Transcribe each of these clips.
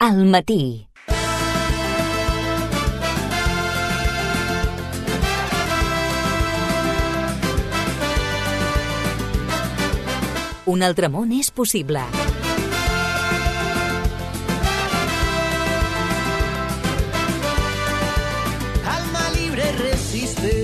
Al matí. Un altre món és possible. Alma libre resiste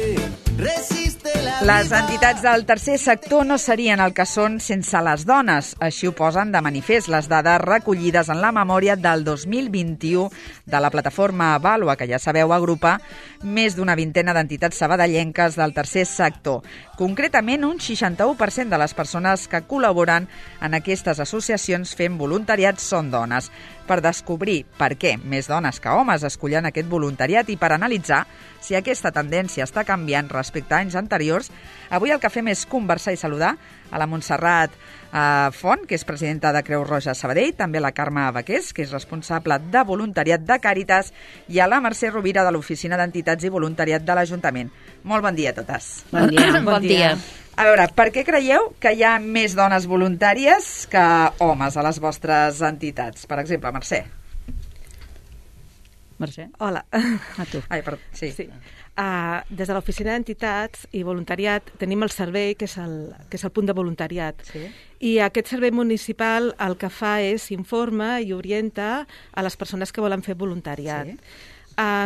la Les entitats del tercer sector no serien el que són sense les dones. Així ho posen de manifest les dades recollides en la memòria del 2021 de la plataforma Vàlua, que ja sabeu agrupa més d'una vintena d'entitats sabadellenques del tercer sector. Concretament, un 61% de les persones que col·laboren en aquestes associacions fent voluntariat són dones. Per descobrir per què més dones que homes escollen aquest voluntariat i per analitzar si aquesta tendència està canviant respecte a anys anteriors, avui el que fem és conversar i saludar a la Montserrat Font, que és presidenta de Creu Roja Sabadell, també a la Carme Baqués, que és responsable de voluntariat de Càritas, i a la Mercè Rovira, de l'Oficina d'Entitats i Voluntariat de l'Ajuntament. Molt bon dia a totes. Bon dia. Bon dia. A veure, per què creieu que hi ha més dones voluntàries que homes a les vostres entitats? Per exemple, Mercè. Mercè? Hola. A tu. Ai, perdó, sí. Des de l'Oficina d'Entitats i Voluntariat tenim el servei, que és el punt de voluntariat. Sí. I aquest servei municipal el que fa és informa i orienta a les persones que volen fer voluntariat. Sí.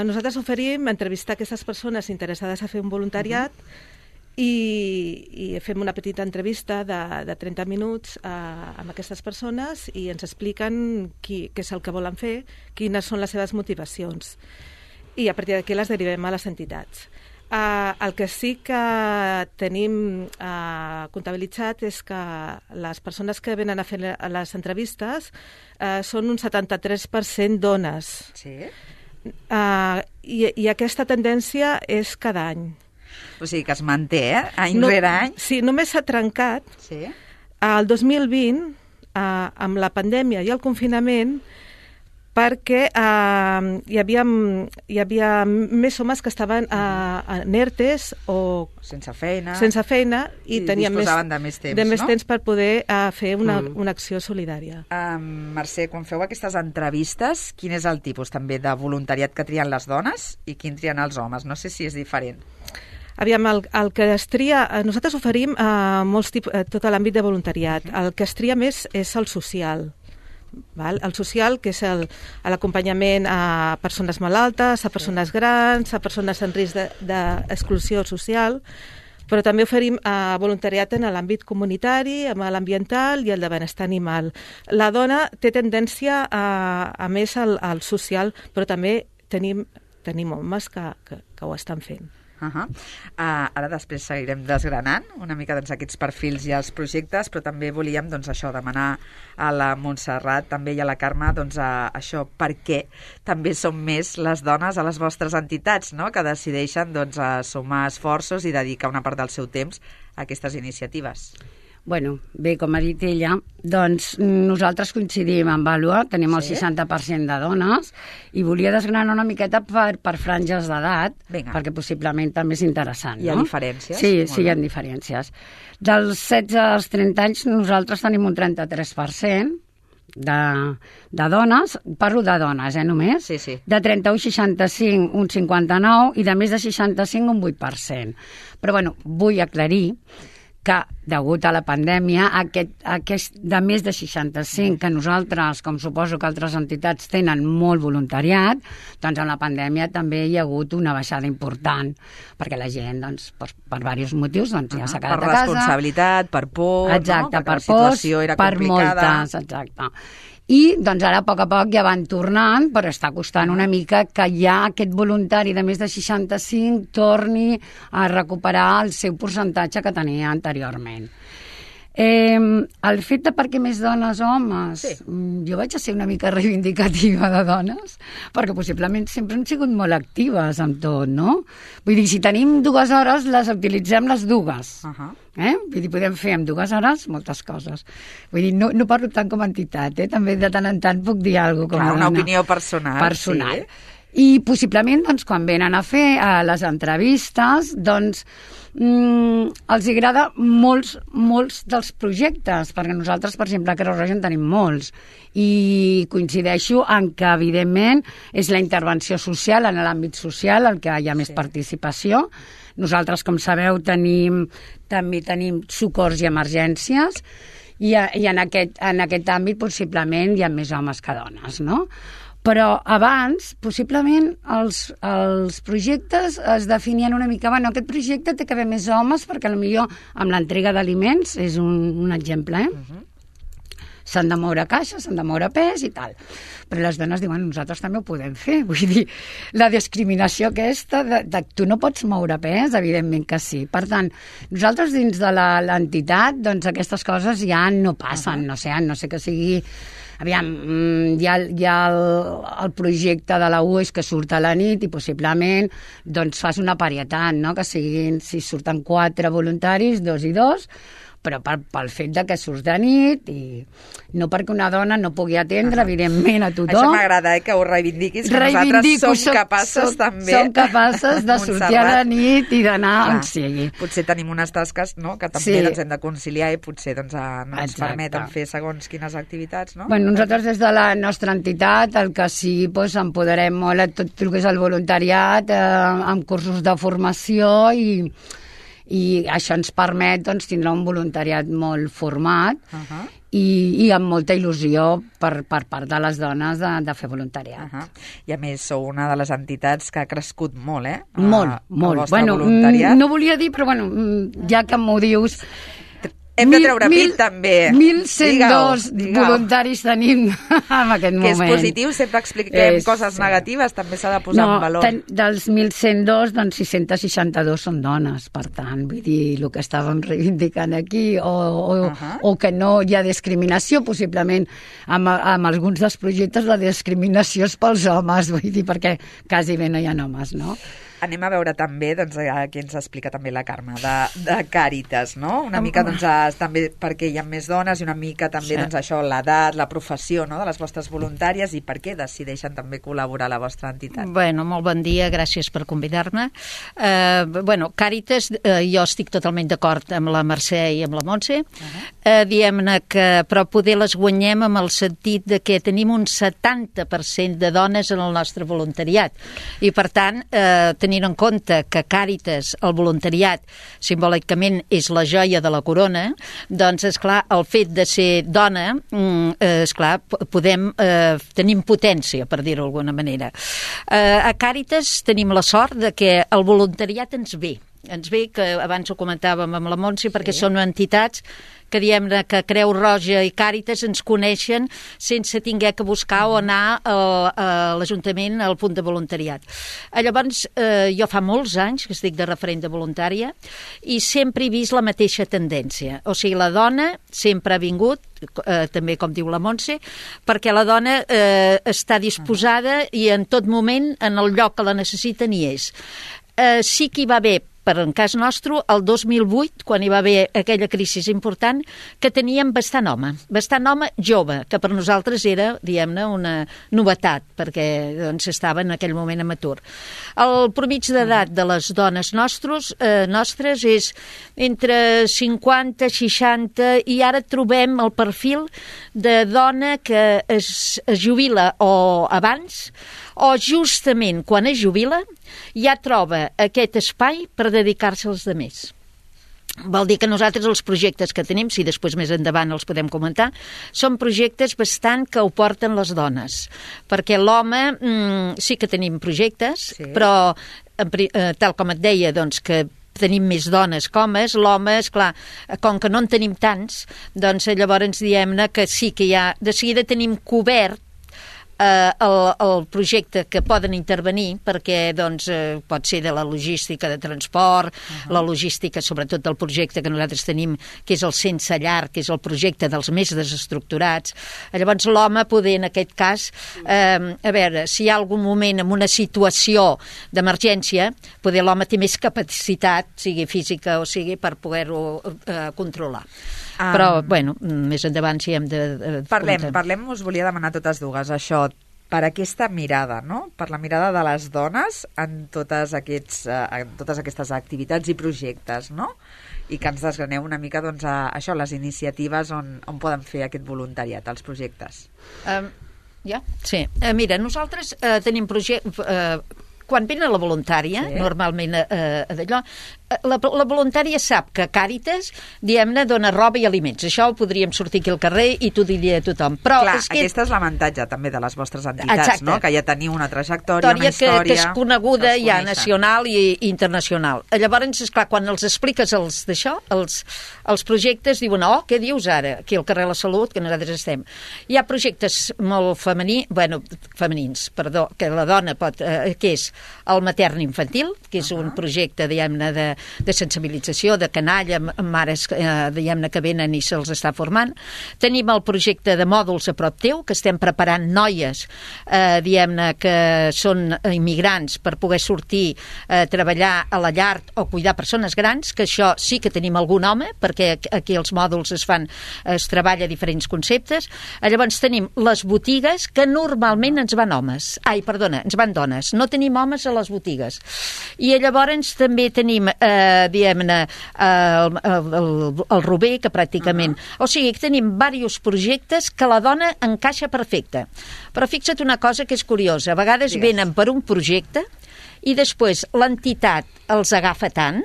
Nosaltres oferim entrevistar aquestes persones interessades a fer un voluntariat i fem una petita entrevista de 30 minuts amb aquestes persones i ens expliquen què és el que volen fer, quines són les seves motivacions. I a partir d'aquí les derivem a les entitats. El que sí que tenim comptabilitzat és que les persones que venen a fer les entrevistes són un 73% dones. Sí. I aquesta tendència és cada any. O sigui que es manté, any rere any. Sí, només s'ha trencat Sí. el 2020 amb la pandèmia i el confinament perquè hi havia més homes que estaven en ERTEs o Sense feina. i tenien disposaven de més temps, no? temps per poder fer una acció solidària. Mercè, quan feu aquestes entrevistes, quin és el tipus també de voluntariat que trien les dones i quin trien els homes? No sé si és diferent. Aviam, el que es tria... Nosaltres oferim tot l'àmbit de voluntariat. El que es tria més és el social. Val? El social, que és l'acompanyament a persones malaltes, a persones grans, a persones en risc d'exclusió social, però també oferim voluntariat en l'àmbit comunitari, amb l'ambiental i el de benestar animal. La dona té tendència a més al social, però també tenim homes que ho estan fent. Ara després seguirem desgranant una mica aquests perfils i els projectes, però també volíem demanar a la Montserrat també i a la Carme això, per què també són més les dones a les vostres entitats, no? Que decideixen sumar esforços i dedicar una part del seu temps a aquestes iniciatives. Bueno, bé, com ha dit ella, doncs nosaltres coincidim en Vàlua, tenim el 60% de dones, i volia desgranar una miqueta per franges d'edat, perquè possiblement també és interessant, no? Hi ha diferències? Sí, hi ha diferències. Dels 16 als 30 anys nosaltres tenim un 33% de dones, parlo de dones, només? Sí. De 31 a 65, un 59, i de més de 65, un 8%. Però, bueno, vull aclarir que, degut a la pandèmia, aquest de més de 65, que nosaltres, com suposo que altres entitats tenen molt voluntariat, doncs en la pandèmia també hi ha hagut una baixada important, perquè la gent, per diversos motius, ja s'ha quedat a casa. Per responsabilitat, per por, exacte, no? per la situació era complicada. Per moltes, exacte. I doncs ara a poc ja van tornant, però està costant una mica que ja aquest voluntari de més de 65 torni a recuperar el seu percentatge que tenia anteriorment. El fet de per què més dones o homes, jo vaig a ser una mica reivindicativa de dones, perquè possiblement sempre han sigut molt actives amb tot, no? Vull dir, si tenim 2 hores, les utilitzem les dues. Vull dir, podem fer en 2 hores moltes coses. Vull dir, no parlo tant com a entitat, també de tant en tant puc dir alguna cosa com a una dona. opinió personal. Personal. Sí. I possiblement, doncs, quan venen a fer les entrevistes, doncs, els agrada molts dels projectes, perquè nosaltres, per exemple, a Creu Roja en tenim molts, i coincideixo en que, evidentment, és la intervenció social, en l'àmbit social, el que hi ha més participació. Nosaltres, com sabeu, també tenim socors i emergències, i en aquest àmbit, possiblement, hi ha més homes que dones, no? Però abans, possiblement, els projectes es definien una mica, bueno, aquest projecte té que haver més homes perquè potser amb l'entrega d'aliments és un exemple, s'han de moure caixes, s'han de moure pes i tal. Però les dones diuen, nosaltres també ho podem fer. Vull dir, la discriminació aquesta de tu no pots moure pes, evidentment que sí. Per tant, nosaltres dins de l'entitat, doncs aquestes coses ja no passen, no sé que sigui... Aviam, hi ha el projecte de la UES que surt a la nit i possiblement doncs fas una parietat, no? Que siguin, si surten 4 voluntaris, 2 i 2, però pel fet de que surts de nit i no perquè una dona no pugui atendre, evidentment, a tothom. Això m'agrada, que ho reivindiquis, que nosaltres som capaces també. Som capaces de sortir a la nit i d'anar on sigui. Potser tenim unes tasques, no?, que també ens hem de conciliar i potser no ens permeten fer segons quines activitats, no? Bueno, nosaltres des de la nostra entitat el que sí, doncs, empoderem molt a tot el que és el voluntariat amb cursos de formació i això ens permet, doncs, tindre un voluntariat molt format i amb molta il·lusió per part de les dones de fer voluntariat. I a més sou una de les entitats que ha crescut molt, Molt. Bueno, no volia dir, però bueno, ja que m'ho dius... Hem de treure pit, també. 1.102 voluntaris tenim en aquest moment. Que és positiu, sempre expliquem coses negatives, també s'ha de posar en valor. Dels 1.102, doncs 662 són dones, per tant, vull dir, el que estàvem reivindicant aquí, o que no hi ha discriminació, possiblement amb alguns dels projectes la discriminació és pels homes, vull dir, perquè quasi bé no hi ha homes, no? Anem a veure també, doncs, aquí ens explica també la Carme, de Càritas, no? Una mica, doncs, també perquè hi ha més dones i una mica també, doncs, això, l'edat, la professió, no?, de les vostres voluntàries i per què decideixen també col·laborar a la vostra entitat. Bueno, molt bon dia, gràcies per convidar-me. Bueno, Càritas, jo estic totalment d'acord amb la Mercè i amb la Montse. Diem-ne que, però poder les guanyem amb el sentit de que tenim un 70% de dones en el nostre voluntariat i, per tant, tenint en compte que Càritas, el voluntariat, simbòlicament és la joia de la corona, doncs, esclar, el fet de ser dona, esclar, tenim potència, per dir-ho d'alguna manera. A Càritas tenim la sort de que el voluntariat ens ve, que abans ho comentàvem amb la Montse, perquè són entitats que diem que Creu Roja i Càritas ens coneixen sense haver que buscar o anar a l'Ajuntament al punt de voluntariat. Llavors, jo fa molts anys que estic de referent de voluntària i sempre he vist la mateixa tendència. O sigui, la dona sempre ha vingut, també com diu la Montse, perquè la dona està disposada i en tot moment, en el lloc que la necessiten, hi és. Sí que hi va haver, per en cas nostre, el 2008, quan hi va haver aquella crisi important, que teníem bastant home jove, que per nosaltres era, diguem-ne, una novetat, perquè doncs, estava en aquell moment en atur. El promig d'edat de les dones nostres és entre 50 i 60, i ara trobem el perfil de dona que es jubila o abans, o justament quan es jubila ja troba aquest espai per dedicar-se als altres. Vol dir que nosaltres els projectes que tenim, si després més endavant els podem comentar, són projectes bastant que ho porten les dones, perquè l'home sí que tenim projectes, però tal com et deia, doncs que tenim més dones que homes, l'home, esclar, com que no en tenim tants, doncs llavors diem-ne que sí que ja de seguida tenim cobert el projecte que poden intervenir, perquè doncs, pot ser de la logística de transport, la logística sobretot del projecte que nosaltres tenim, que és el Sense Llar, que és el projecte dels més desestructurats. Llavors l'home poder, en aquest cas, a veure, si hi ha algun moment en una situació d'emergència, poder l'home té més capacitat, sigui física o sigui, per poder-ho controlar. Però, bueno, més endavant si hem de... Parlem, us volia demanar totes dues, això. per aquesta mirada, no? Per la mirada de les dones en totes aquestes activitats i projectes, no? I que ens desgraneu una mica, doncs, això, les iniciatives on poden fer aquest voluntariat, els projectes. Sí. Mira, nosaltres tenim quan venen la voluntària, normalment d'allò, la voluntària sap que Càritas, diguem-ne, dona roba i aliments. Això ho podríem sortir aquí al carrer i t'ho diria a tothom. Però clar, aquesta és l'avantatge també de les vostres entitats, no? Que ja teniu una trajectòria, una història... que és coneguda ja nacional i internacional. Llavors, esclar, quan els expliques els projectes, diuen, què dius ara? Aquí al carrer de la Salut, que nosaltres estem. Hi ha projectes molt femenins, que la dona pot... que és el matern infantil, que és un projecte, diguem-ne, de sensibilització, de canalla, mares, diguem-ne, que venen i se'ls està formant. Tenim el projecte de mòduls a prop teu, que estem preparant noies, diguem-ne, que són immigrants per poder sortir a treballar a la llar o cuidar persones grans, que això sí que tenim algun home, perquè aquí els mòduls es treballa diferents conceptes. Llavors tenim les botigues, que normalment ens van dones. No tenim homes a les botigues. I llavors també tenim diguem-ne, el Rober, que pràcticament... O sigui, que tenim diversos projectes que la dona encaixa perfecte. Però fixa't una cosa que és curiosa. A vegades venen per un projecte i després l'entitat els agafa tant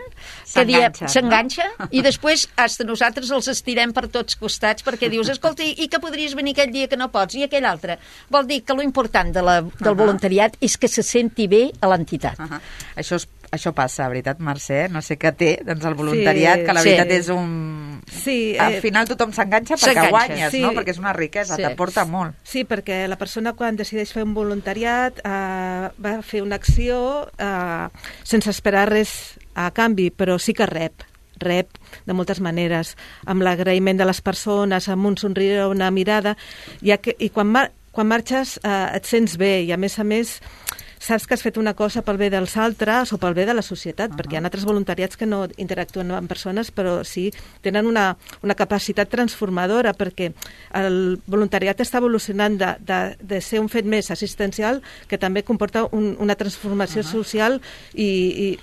que s'enganxa, no? I després hasta nosaltres els estirem per tots costats perquè dius, escolta, i que podries venir aquell dia que no pots, i aquell altre. Vol dir que lo important del voluntariat és que se senti bé a l'entitat. Això passa, veritat, Mercè? No sé què té, doncs, el voluntariat, que la veritat és un... Sí, al final tothom s'enganxa perquè guanyes, no? Perquè és una riquesa, t'aporta molt. Sí, perquè la persona quan decideix fer un voluntariat va fer una acció sense esperar res a canvi, però sí que rep de moltes maneres, amb l'agraïment de les persones, amb un somriure, una mirada, i quan marxes et sents bé, i a més saps que has fet una cosa pel bé dels altres o pel bé de la societat, perquè hi ha altres voluntariats que no interactuen amb persones, però sí tenen una capacitat transformadora, perquè el voluntariat està evolucionant de ser un fet més assistencial, que també comporta una transformació social i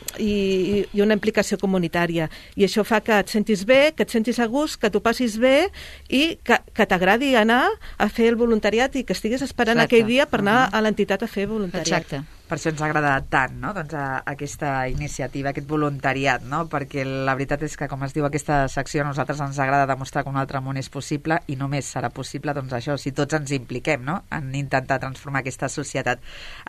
una implicació comunitària. I això fa que et sentis bé, que et sentis a gust, que t'ho passis bé i que t'agradi anar a fer el voluntariat i que estiguis esperant aquell dia per anar a l'entitat a fer voluntariat. Exacte. Per això ens agrada tant, no? Doncs aquesta iniciativa, aquest voluntariat, no? Perquè la veritat és que, com es diu aquesta secció, a nosaltres ens agrada demostrar que un altre món és possible i només serà possible, doncs això, si tots ens impliquem, no? En intentar transformar aquesta societat.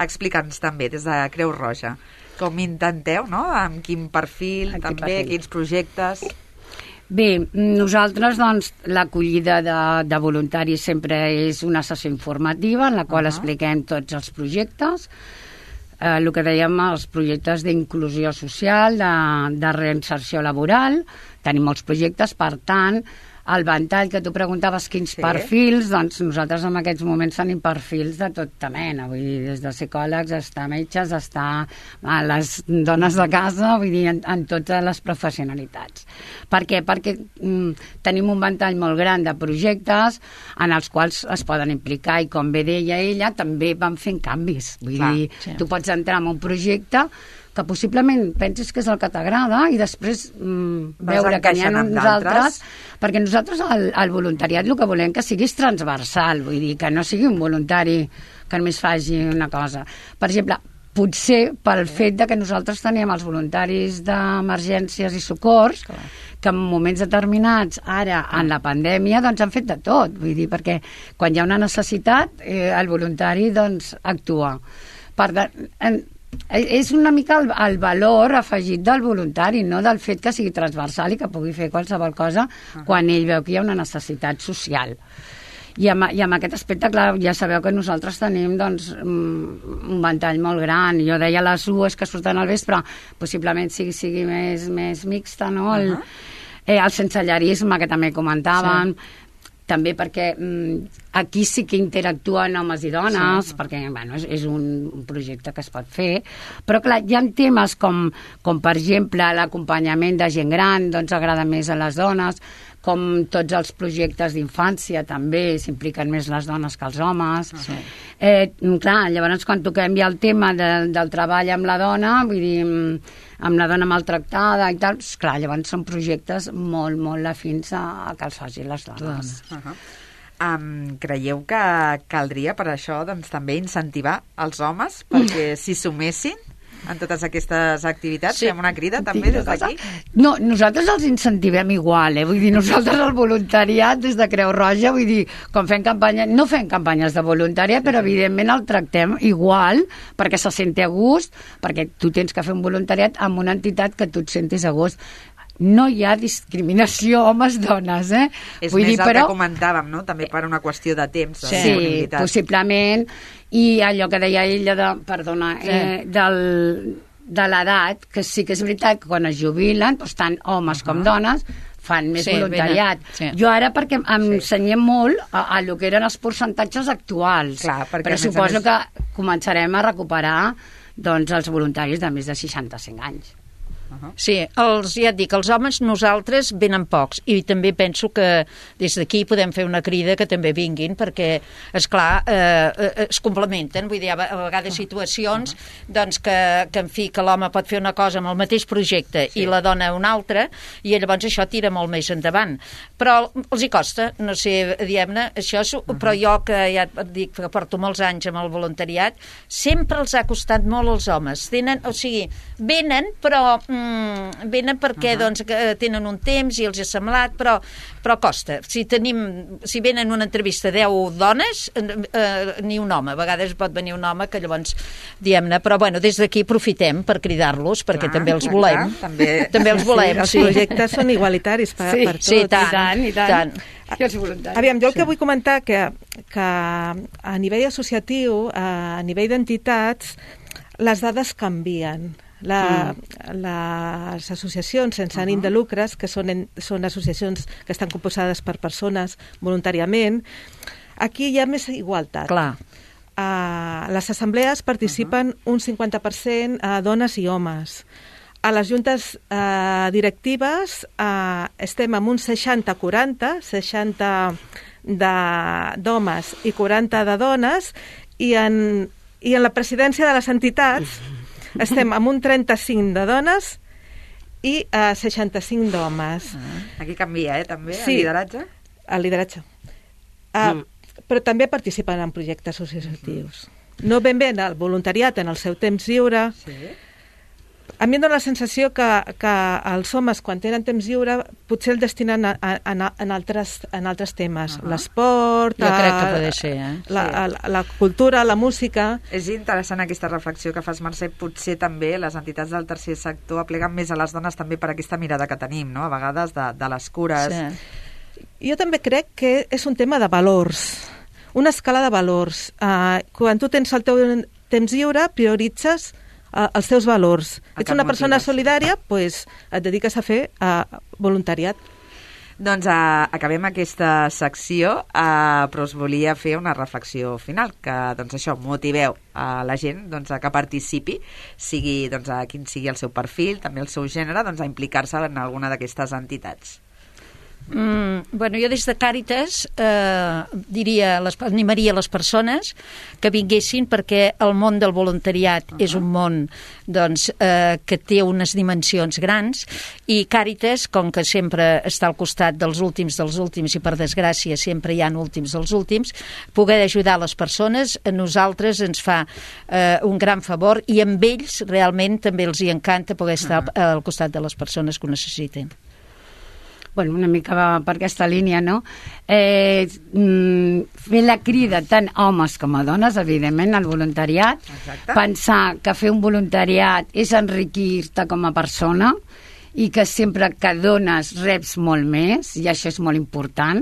Explica'ns també, des de Creu Roja, com intenteu, no? Amb quin perfil, quins projectes... Bé, nosaltres, doncs, l'acollida de voluntaris sempre és una sessió informativa en la qual expliquem tots els projectes, el que dèiem, els projectes d'inclusió social, de reinserció laboral. Tenim molts projectes, per tant, el ventall que tu preguntaves quins perfils, doncs nosaltres en aquests moments tenim perfils de tota mena, vull dir, des de psicòlegs, hasta metges, hasta les dones de casa, vull dir, en totes les professionalitats. Per què? Perquè tenim un ventall molt gran de projectes en els quals es poden implicar, i com bé deia ella, també van fent canvis. Vull dir, tu pots entrar en un projecte que possiblement penses que és el que t'agrada i després veure que n'hi ha uns altres, perquè nosaltres el voluntariat el que volem que sigui transversal, vull dir, que no sigui un voluntari que només faci una cosa. Per exemple, potser pel fet de que nosaltres teníem els voluntaris d'emergències i socors, que en moments determinats, ara en la pandèmia, doncs han fet de tot, vull dir, perquè quan hi ha una necessitat, el voluntari doncs actua. Per tant, és una mica el valor afegit del voluntari, no del fet que sigui transversal i que pugui fer qualsevol cosa quan ell veu que hi ha una necessitat social. I amb aquest aspecte, clar, ja sabeu que nosaltres tenim doncs, un ventall molt gran. Jo deia les UES que surten al vespre, possiblement sigui més mixta, no? El sensellarisme, que també comentàvem, també perquè aquí sí que interactuen homes i dones, perquè bueno, és un projecte que es pot fer, però clar, hi ha temes com per exemple l'acompanyament de gent gran, doncs agrada més a les dones, com tots els projectes d'infància també s'impliquen més les dones que els homes. Clar, llavors quan toquem ja el tema del treball amb la dona, vull dir, amb la dona maltractada i tal, clar, llavors són projectes molt, molt afins a que els facin les dones. Creieu que caldria per això doncs, també incentivar els homes perquè s'hi sumessin en totes aquestes activitats? Fem una crida també des d'aquí? No, nosaltres els incentivem igual, vull dir, nosaltres el voluntariat des de Creu Roja, vull dir, quan fem campanya, no fem campanyes de voluntariat, però evidentment el tractem igual perquè se senti a gust, perquè tu tens que fer un voluntariat amb una entitat que tu et sentis a gust. No hi ha discriminació homes-dones, És més el que comentàvem, no? També per una qüestió de temps, de disponibilitat. Sí, possiblement, i allò que deia ella de l'edat, que sí que és veritat que quan es jubilen, doncs tant homes com dones fan més voluntariat. Jo ara perquè ensenyem molt a lo que eren els percentatges actuals. Clar, però suposo que començarem a recuperar doncs, els voluntaris de més de 65 anys. Sí, ja et dic, els homes nosaltres venen pocs i també penso que des d'aquí podem fer una crida que també vinguin perquè, esclar, es complementen, vull dir, a vegades situacions doncs que en fi, que l'home pot fer una cosa amb el mateix projecte i la dona una altra i llavors això tira molt més endavant, però els hi costa, no sé, diguem-ne, això, però jo que ja et dic que porto molts anys amb el voluntariat, sempre els ha costat molt als homes, venen però venen perquè doncs, tenen un temps i els ha semblat, però costa. Si venen una entrevista 10 dones, ni un home. A vegades pot venir un home que llavors, diguem-ne, però bueno, des d'aquí aprofitem per cridar-los perquè també els volem. També els volem. Els projectes són igualitaris per tots. Sí, tant. Aviam, jo el que vull comentar que a nivell associatiu, a nivell d'entitats, les dades canvien. Les associacions sense ànim de lucres, que són associacions que estan composades per persones voluntàriament, aquí hi ha més igualtat. Clar. A les assemblees participen un 50% dones i homes. A les juntes directives estem amb un 60-40, 60 d'homes i 40 de dones, i en la presidència de les entitats estem amb un 35 de dones i 65 d'homes. Aquí canvia, també, el lideratge? El lideratge. Però també participen en projectes associatius. No ben bé el voluntariat en el seu temps lliure. A mi em dóna la sensació que els homes, quan tenen temps lliure, potser el destinen en altres temes. L'esport, jo crec que pot ser, la cultura, la música. És interessant aquesta reflexió que fas, Mercè. Potser també les entitats del tercer sector apleguen més a les dones també per aquesta mirada que tenim, no? A vegades de les cures. Jo també crec que és un tema de valors, una escala de valors. Quan tu tens el teu temps lliure, prioritzes els teus valors. Ets una persona solidària, doncs et dediques a fer voluntariat. Doncs acabem aquesta secció, però us volia fer una reflexió final, que doncs això, motiveu a la gent doncs, a que participi, sigui doncs, a quin sigui el seu perfil, també el seu gènere, doncs, a implicar-se en alguna d'aquestes entitats. Bueno, jo des de Càritas animaria les persones que vinguessin, perquè el món del voluntariat és un món doncs, que té unes dimensions grans, i Càritas, com que sempre està al costat dels últims i per desgràcia sempre hi ha últims dels últims, poder ajudar les persones a nosaltres ens fa un gran favor, i amb ells realment també els hi encanta poder estar al costat de les persones que ho necessiten. Bueno, una mica per aquesta línia, no? Fer la crida tant homes com a dones, evidentment, al voluntariat. Exacte. Pensar que fer un voluntariat és enriquir-te com a persona i que sempre que dones reps molt més, i això és molt important,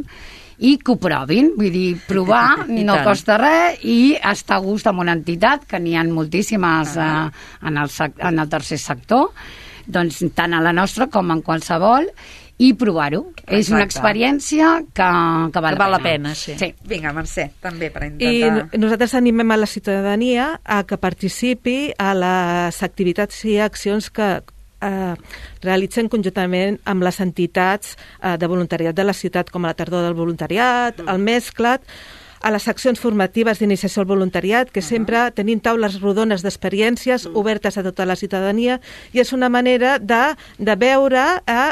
i que ho provin, vull dir, provar no costa res, i estar a gust amb una entitat, que n'hi ha moltíssimes en el tercer sector, doncs tant a la nostra com en qualsevol, i provar-ho. Exacte. És una experiència que val la pena. Sí. Vinga, Mercè, també per intentar... I nosaltres animem a la ciutadania a que participi a les activitats i accions que realitzen conjuntament amb les entitats de voluntariat de la ciutat, com a la Tardor del Voluntariat, el Mesclat, a les seccions formatives d'iniciació al voluntariat, que sempre tenim taules rodones d'experiències obertes a tota la ciutadania, i és una manera de veure,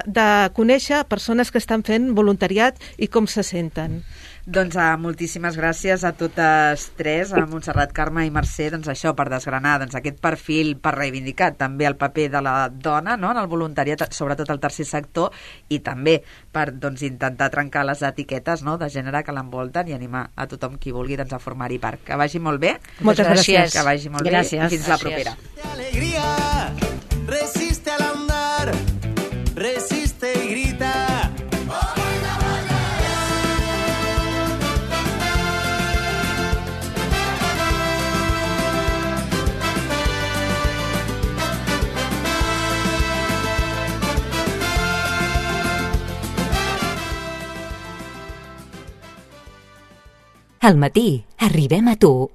de conèixer persones que estan fent voluntariat i com se senten. Doncs moltíssimes gràcies a totes tres, a Montserrat, Carme i Mercè, doncs això, per desgranar aquest perfil, per reivindicar també el paper de la dona, no?, en el voluntariat, sobretot al tercer sector, i també per intentar trencar les etiquetes, no?, de gènere que l'envolten i animar a tothom qui vulgui a formar-hi part. Que vagi molt bé. Moltes gràcies. Que vagi molt bé i fins la propera. Alegría, resiste al andar, resiste y grita. Al matí arribem a tu.